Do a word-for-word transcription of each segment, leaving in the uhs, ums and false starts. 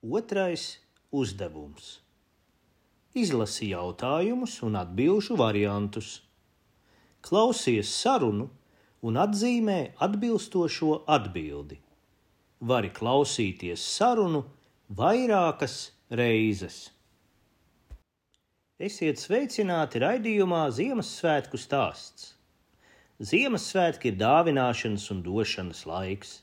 Otrais uzdevums. Izlasi jautājumus un atbilžu variantus. Klausies sarunu un atzīmē atbilstošo atbildi. Vari klausīties sarunu vairākas reizes. Esiet sveicināti raidījumā Ziemassvētku stāsts. Ziemassvētki ir dāvināšanas un došanas laiks.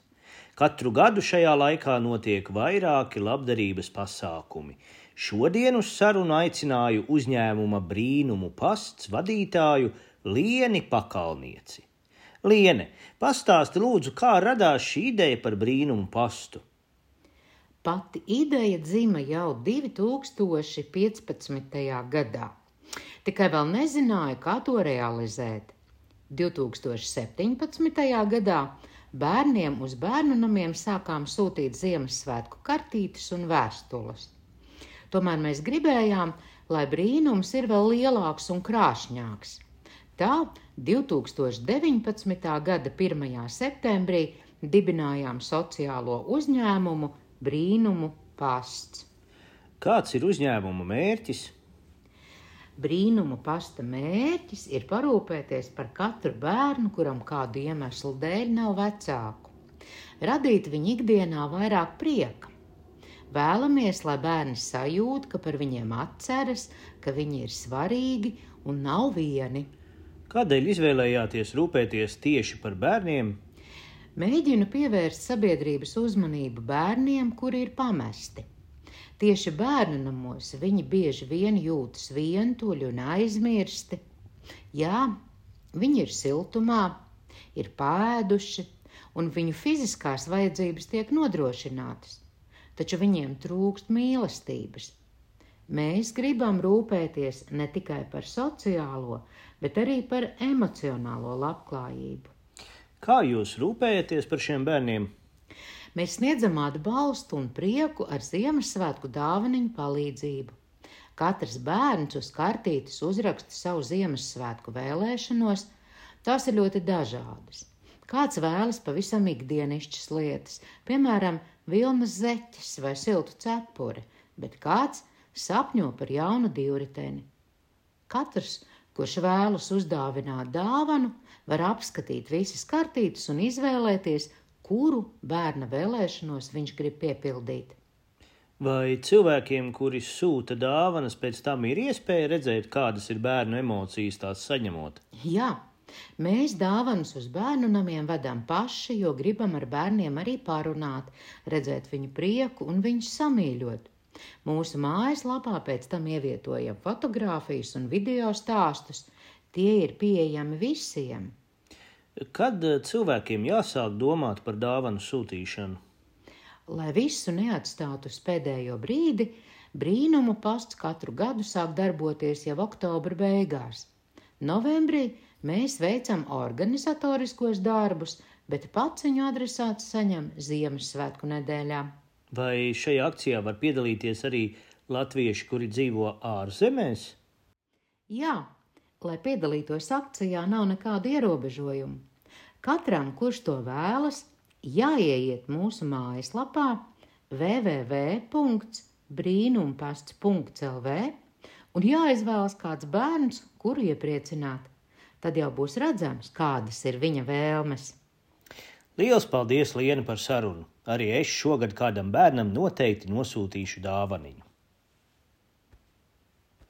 Katru gadu šajā laikā notiek vairāki labdarības pasākumi. Šodien uz sarunu aicināju uzņēmuma Brīnumu pasts vadītāju Lieni Pakalnieci. Liene, pastāsti lūdzu, kā radās šī ideja par Brīnumu pastu? Pati ideja dzima jau divi tūkstoši piecpadsmitajā gadā. Tikai vēl nezināju, kā to realizēt. divi tūkstoši septiņpadsmitajā gadā bērniem uz bērnu namiem sākām sūtīt Ziemassvētku kartītes un vēstules. Tomēr mēs gribējām, lai brīnums ir vēl lielāks un krāšņāks. Tā divi tūkstoši deviņpadsmitā gada pirmajā septembrī dibinājām sociālo uzņēmumu Brīnumu pasts. Kāds ir uzņēmuma mērķis? Brīnumu pasta mērķis ir parūpēties par katru bērnu, kuram kādu iemeslu dēļ nav vecāku. Radīt viņu ikdienā vairāk prieka. Vēlamies, lai bērni sajūt, ka par viņiem atceras, ka viņi ir svarīgi un nav vieni. Kādēļ izvēlējāties rūpēties tieši par bērniem? Mēģinu pievērst sabiedrības uzmanību bērniem, kuri ir pamesti. Tieši bērnu namos viņi bieži vien jūtas vientuļi un aizmirsti. Jā, viņi ir siltumā, ir pāēduši, un viņu fiziskās vajadzības tiek nodrošinātas, taču viņiem trūkst mīlestības. Mēs gribam rūpēties ne tikai par sociālo, bet arī par emocionālo labklājību. Kā jūs rūpējaties par šiem bērniem? Mēs sniedzam atbalstu un prieku ar Ziemassvētku dāvaniņu palīdzību. Katrs bērns uz kartītes uzraksta savu Ziemassvētku vēlēšanos, tās ir ļoti dažādas. Kāds vēlas pavisam ikdienišķas lietas, piemēram, vilnas zeķes vai siltu cepuri, bet kāds sapņo par jaunu divriteni. Katrs, kurš vēlas uzdāvināt dāvanu, var apskatīt visas kartītes un izvēlēties, kuru bērna vēlēšanos viņš grib piepildīt. Vai cilvēkiem, kuri sūta dāvanas, pēc tam ir iespēja redzēt, kādas ir bērnu emocijas tās saņemot? Jā, mēs dāvanas uz bērnu namiem vedam paši, jo gribam ar bērniem arī parunāt, redzēt viņu prieku un viņus samīļot. Mūsu mājaslapā pēc tam ievietojam fotogrāfijas un video stāstus. Tie ir pieejami visiem. Kad cilvēkiem jāsāk domāt par dāvanu sūtīšanu? Lai visu neatstātu uz pēdējo brīdi, Brīnumu pasts katru gadu sāk darboties jau oktobra beigās. Novembrī mēs veicam organizatoriskos darbus, bet paciņu adresāts saņem Ziemassvētku nedēļā. Vai šajā akcijā var piedalīties arī latvieši, kuri dzīvo ārzemēs? Jā. Lai piedalītos akcijā, nav nekādu ierobežojumu. Katram, kurš to vēlas, jāieiet mūsu mājaslapā w w w punkts brīnumpasts punkts l v un jāizvēlas kāds bērns, kuru iepriecināt. Tad jau būs redzams, kādas ir viņa vēlmes. Liels paldies, Liene, par sarunu. Arī es šogad kādam bērnam noteikti nosūtīšu dāvaniņu.